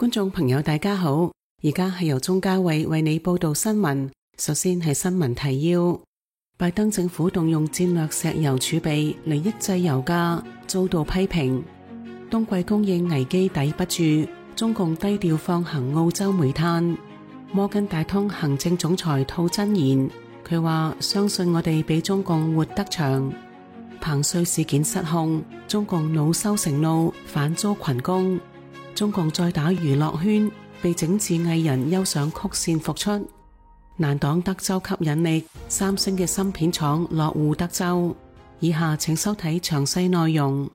觀眾朋友大家好，而家係由鍾嘉慧為你報道新聞。首先係新聞提要：拜登政府動用戰略石油儲備嚟抑制油價，遭到批評。冬季供應危機抵不住，中共低調放行澳洲煤炭。摩根大通行政總裁吐真言，佢話相信我哋比中共活得長。彭帥事件失控，中共惱羞成怒，反遭群攻。中共再打娛樂圈，被整治藝人憂上曲線復出。難擋德州吸引力，三星嘅芯片廠落戶德州。以下請收睇詳細內容。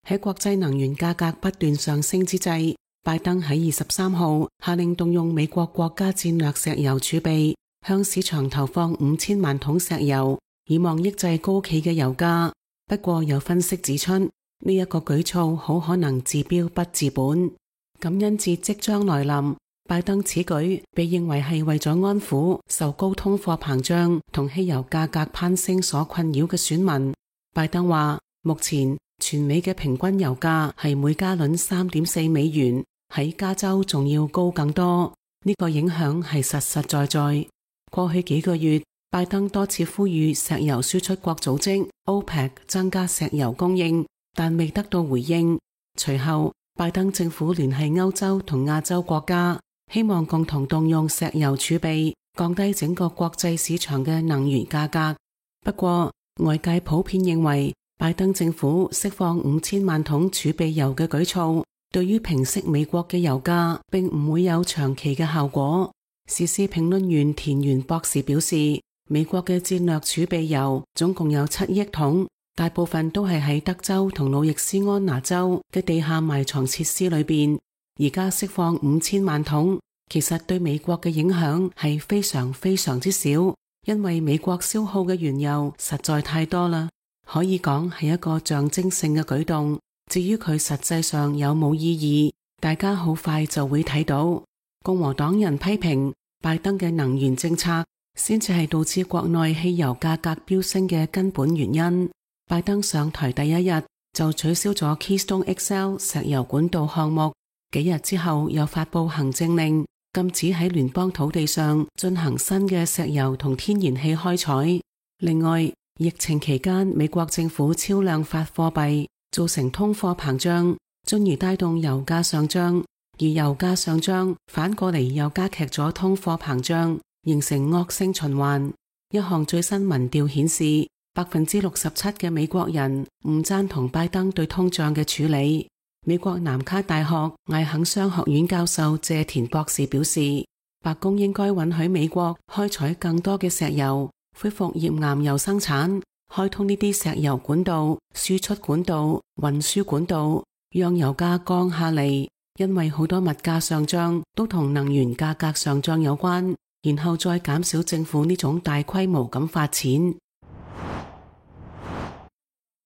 喺國際能源價格不斷上升之際，拜登喺23號下令動用美國國家戰略石油儲備，向市場投放5000萬桶石油，以望抑制高企嘅油價。不過有分析指出，呢一個舉措好可能治標不治本。感恩節即將來臨，拜登此舉被認為係為咗安撫受高通貨膨脹同汽油價格攀升所困擾嘅選民。拜登話，目前全美嘅平均油價係每加侖3.4美元，喺加州仲要高更多。呢個影響係實實在在。過去幾個月，拜登多次呼籲石油輸出國組織 OPEC 增加石油供應，但未得到回應。隨後，拜登政府聯繫歐洲同亞洲國家，希望共同動用石油儲備，降低整個國際市場嘅能源價格。不過，外界普遍認為，拜登政府釋放5000萬桶儲備油嘅舉措，對於平息美國嘅油價，並唔會有長期嘅效果。時事評論員田園博士表示，美國嘅戰略儲備油總共有7億桶。大部分都係喺德州同路易斯安那州嘅地下埋藏設施裏邊，而家釋放5000萬桶，其實對美國嘅影響係非常非常之少，因為美國消耗嘅原油實在太多啦，可以講係一個象徵性嘅舉動。至於佢實際上有冇意義，大家好快就會睇到。共和黨人批評拜登嘅能源政策，先至係導致國內汽油價格飆升嘅根本原因。拜登上台第一日就取消咗 Keystone XL 石油管道項目，幾日之後又發佈行政令，禁止喺聯邦土地上進行新嘅石油同天然氣開採。另外，疫情期間美國政府超量發貨幣，造成通貨膨脹，進而帶動油價上漲，而油價上漲反過嚟又加劇咗通貨膨脹，形成惡性循環。一項最新民調顯示，67%嘅美國人唔贊同拜登對通脹嘅處理。美國南卡大學艾肯商學院教授謝田博士表示，白宮應該允許美國開採更多嘅石油，恢復頁岩油生產，開通呢啲石油管道、輸出管道、運輸管道，讓油價降下嚟。因為好多物價上漲都同能源價格上漲有關，然後再減少政府呢種大規模咁發錢。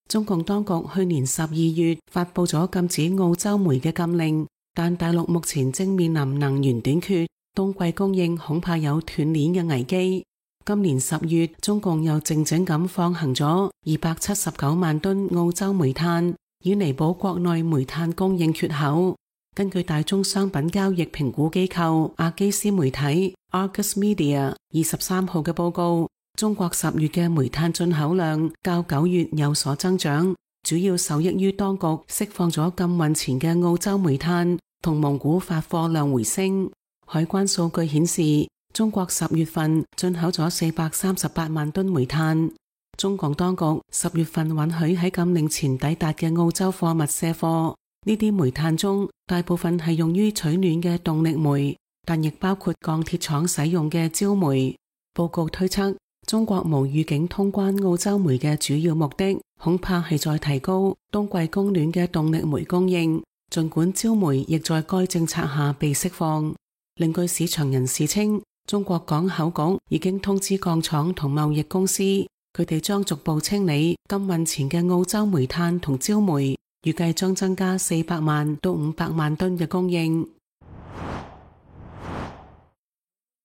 中共當局去年12月發佈咗禁止澳洲煤嘅禁令，但大陸目前正面臨能源短缺，冬季供應恐怕有斷鏈嘅危機。今年10月，中共又靜靜咁放行咗279萬噸澳洲煤炭，以彌補國內煤炭供應缺口。根據大宗商品交易評估機構阿基斯媒體 Argus Media 23號嘅報告，中國10月嘅煤炭進口量較9月有所增長，主要受益於當局釋放咗禁運前嘅澳洲煤炭，同蒙古發貨量回升。海關數據顯示，中國10月份進口咗438萬噸煤炭。中共當局10月份允許喺禁令前抵達嘅澳洲貨物卸貨，呢啲煤炭中大部分係用於取暖嘅動力煤，但亦包括鋼鐵廠使用嘅焦煤。報告推測，中國無預警通關澳洲煤嘅主要目的，恐怕係在提高冬季供暖嘅動力煤供應，儘管焦煤亦在該政策下被釋放。另據市場人士稱，中國港口局已經通知鋼廠同貿易公司，佢哋將逐步清理禁運前嘅澳洲煤炭同焦煤，預計將增加400萬到500萬噸嘅供應。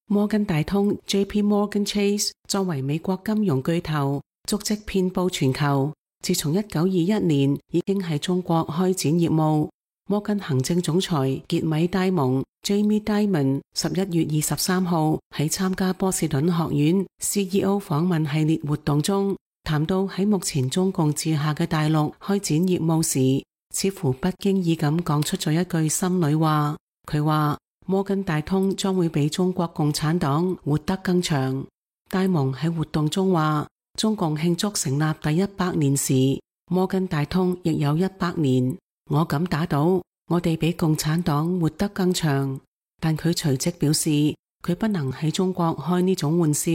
摩根大通 JP Morgan Chase 作為美國金融巨頭，足跡遍佈全球。自從1921年已經喺中國開展業務，摩根行政總裁傑米戴蒙 Jamie Dimon 11月23號喺參加波士頓學院 CEO 訪問系列活動中，談到喺目前中共治下嘅大陸開展業務時，似乎不經意咁講出咗一句心裏話。佢話摩根大通將會比中國共產黨活得更長。戴蒙喺活動中話，中共慶祝成立第100年時，摩根大通亦有100年。我敢打賭，我哋比共產黨活得更長。但佢隨即表示，佢不能喺中國開呢種玩笑，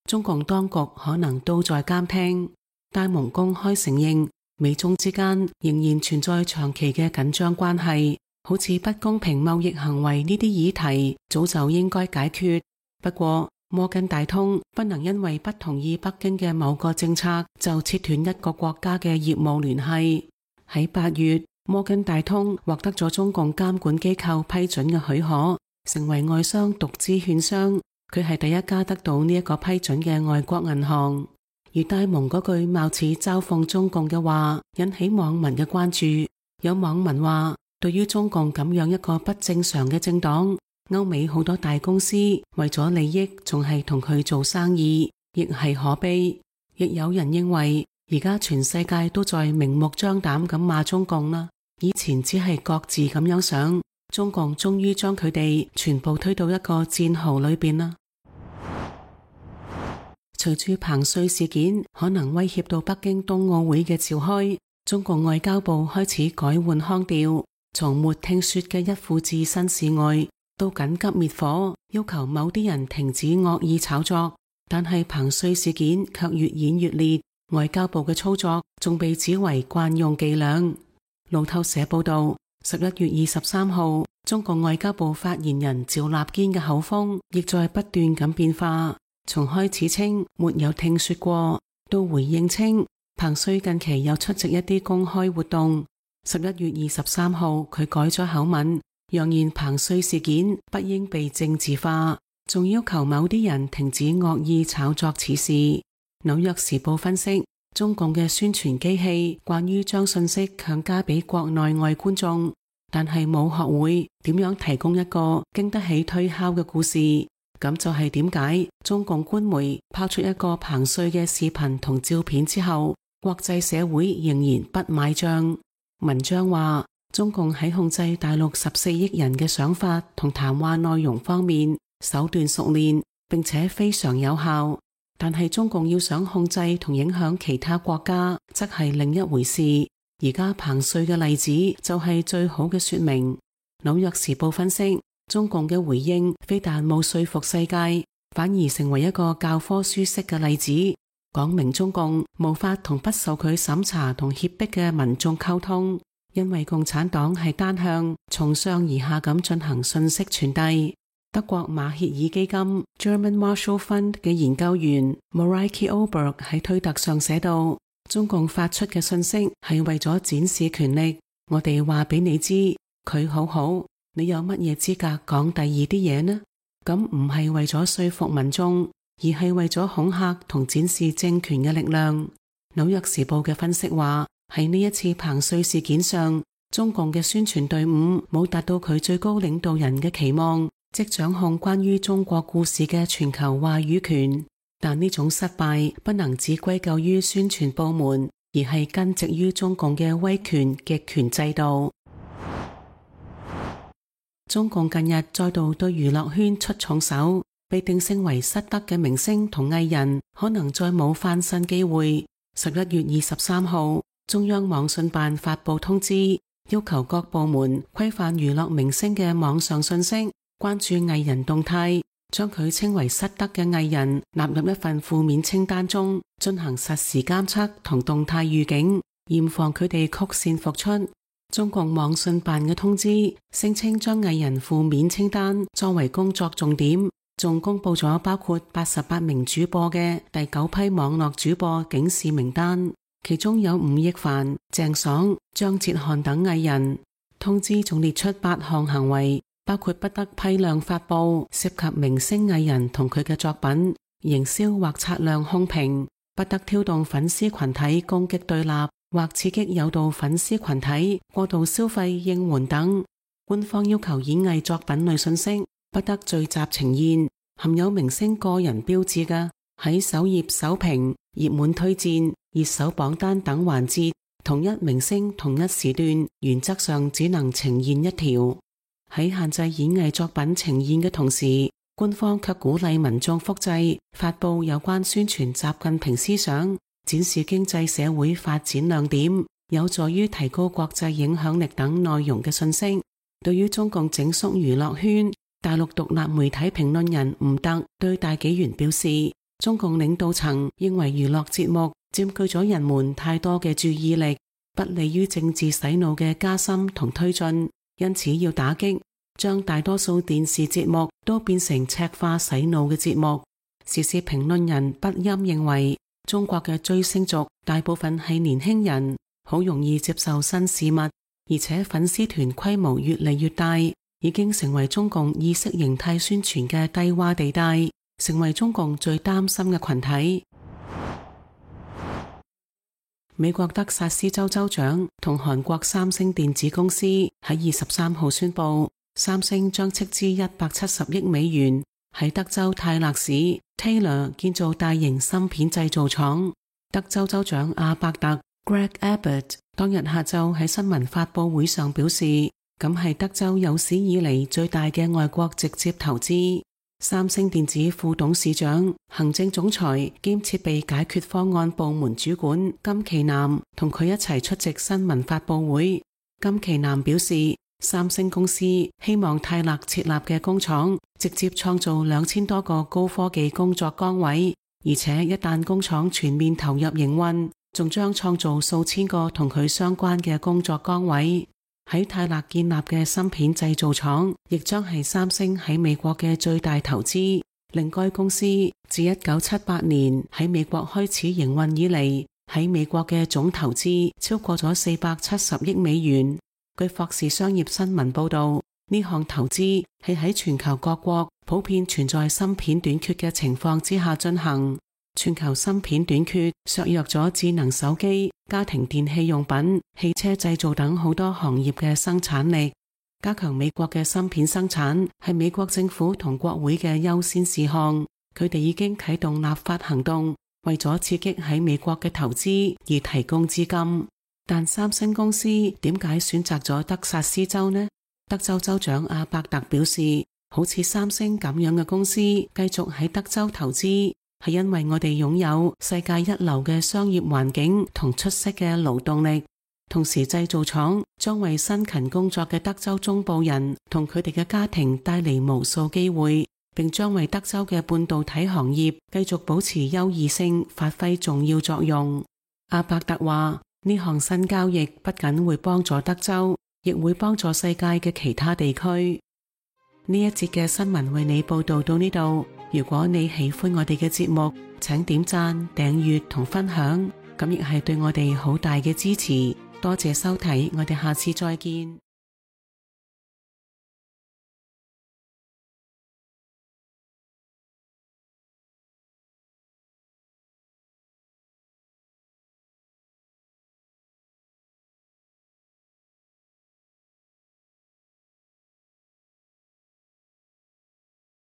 中共當局可能都在監聽。戴蒙公開承認，美中之間仍然存在長期嘅緊張關係，好似不公平貿易行為呢啲議題早就應該解決。不過摩根大通不能因為不同意北京嘅某個政策就切斷一個國家嘅業務聯繫。喺8月，摩根大通獲得咗中共監管機構批准嘅許可，成為外商獨資券商。佢係第一家得到呢一個批准嘅外國銀行。而戴蒙嗰句貌似嘲諷中共嘅話引起網民嘅關注。有網民話，對於中共咁樣一個不正常嘅政黨，歐美好多大公司為咗利益仲係同佢做生意，亦係可悲。亦有人認為，而家全世界都在明目張膽咁罵中共啦，以前只係各自咁樣想，中共終於將佢哋全部推到一個戰壕裏邊啦。隨住彭帥事件可能威脅到北京冬奧會嘅召開，中共外交部開始改換腔調，從沒聽說嘅一副置身事外，到緊急滅火，要求某啲人停止惡意炒作。但係彭帥事件卻越演越烈，外交部嘅操作仲被指為慣用伎倆。路透社報道，11月23號，中共外交部發言人趙立堅嘅口風亦在不斷咁變化，從開始稱沒有聽說過，到回應稱彭帥近期有出席一啲公開活動。11月23號，佢改咗口吻，揚言彭帥事件不應被政治化，仲要求某啲人停止惡意炒作此事。紐約時報分析，中共嘅宣傳機器慣於將信息強加俾國內外觀眾，但係冇學會點樣提供一個經得起推敲嘅故事。咁就係點解中共官媒拋出一個彭帥嘅視頻同照片之後，國際社會仍然不買賬。文章話，中共喺控制大陸14億人嘅想法同談話內容方面手段熟練，並且非常有效。但係中共要想控制同影響其他國家，則係另一回事。而家彭帥嘅例子就係最好嘅說明。紐約時報分析，中共嘅回應非但冇說服世界，反而成為一個教科書式嘅例子，講明中共無法同不受佢審查同脅迫嘅民眾溝通，因為共產黨係單向從上而下咁進行信息傳遞。德國馬歇爾基金 German Marshall Fund 嘅研究員 Mareike Oberg 喺推特上寫道，中共發出嘅信息係為咗展示權力，我哋話俾你知佢好好，你有乜嘢資格講第二啲嘢呢？咁唔係為咗說服民眾，而係為咗恐嚇同展示政權嘅力量。紐約時報嘅分析話，喺呢一次彭帥事件上，中共嘅宣傳隊伍冇達到佢最高領導人嘅期望，即掌控關於中國故事嘅全球話語權。但呢種失敗不能只歸咎於宣傳部門，而係根植於中共嘅威權極權制度。中共近日再度對娛樂圈出重手，被定性為失德嘅明星同藝人可能再冇翻身機會。11月23號，中央網信辦發佈通知，要求各部門規範娛樂明星嘅網上信息，關注藝人動態，將佢稱為失德嘅藝人納入一份負面清單中，進行實時監測同動態預警，嚴防佢哋曲線復出。中共網信辦嘅通知聲稱將藝人負面清單作為工作重點，仲公布咗包括88名主播嘅第9批網絡主播警示名單，其中有吳亦凡、鄭爽、張哲瀚等藝人。通知仲列出8項行為，包括不得批量發布涉及明星藝人同佢嘅作品，營銷或擦亮空評，不得挑動粉絲群體攻擊對立，或刺激誘導粉絲群體過度消費應援等。官方要求演藝作品類信息不得聚集呈現含有明星個人標誌嘅，喺首頁首屏、熱門推薦、熱搜榜單等環節，同一明星同一時段原則上只能呈現一條。喺限制演藝作品呈現嘅同時，官方卻鼓勵民眾複製、發佈有關宣傳習近平思想、展示經濟社會發展亮點、有助於提高國際影響力等內容嘅信息。對於中共整肅娛樂圈，大陸獨立媒體評論人吳特對大紀元表示，中共領導層認為娛樂節目佔據咗人們太多嘅注意力，不利於政治洗腦嘅加深同推進，因此要打擊，將大多數電視節目都變成赤化洗腦嘅節目。時事評論人不欽認為，中國嘅追星族大部分係年輕人，好容易接受新事物，而且粉絲團規模越嚟越大，已經成為中共意識形態宣傳嘅低窪地帶，成為中共最擔心嘅群體。美國德薩斯州州長同韓國三星電子公司喺23號宣布，三星將斥資170億美元喺德州泰勒市 Taylor 建造大型芯片製造廠。德州州長阿伯特 Greg Abbott 當日下晝喺新聞發佈會上表示，咁係德州有史以嚟最大嘅外國直接投資。三星電子副董事長、行政總裁兼設備解決方案部門主管金其南同佢一齊出席新聞發佈會。金其南表示，三星公司希望泰勒設立嘅工廠直接創造2000多個高科技工作崗位，而且一旦工廠全面投入營運，仲將創造數千個同佢相關嘅工作崗位。喺泰勒建立嘅芯片製造廠亦將係三星喺美國嘅最大投資，令該公司自1978年喺美國開始營運以嚟，喺美國嘅總投資超過咗470億美元。據霍士商業新聞報道，呢項投資係喺全球各國普遍存在芯片短缺嘅情況之下進行。全球芯片短缺削弱咗智能手機、家庭電器用品、汽車製造等好多行業嘅生產力。加強美國嘅芯片生產係美國政府同國會嘅優先事項，佢哋已經啟動立法行動，為咗刺激喺美國嘅投資而提供資金。但三星公司點解選擇咗德薩斯州呢？德州州長阿伯特表示，好似三星咁樣嘅公司繼續喺德州投資，係因為我哋擁有世界一流嘅商業環境同出色嘅勞動力，同時製造廠將為辛勤工作嘅德州中部人同佢哋嘅家庭帶嚟無數機會，並將為德州嘅半導體行業繼續保持優異性發揮重要作用。阿伯特話，呢項新交易不僅會幫助德州，亦會幫助世界嘅其他地區。呢一節嘅新聞為你報道到呢度。如果你喜歡我哋嘅節目，請點讚、訂閱同分享，咁亦係對我哋好大嘅支持。多謝收睇，我哋下次再見。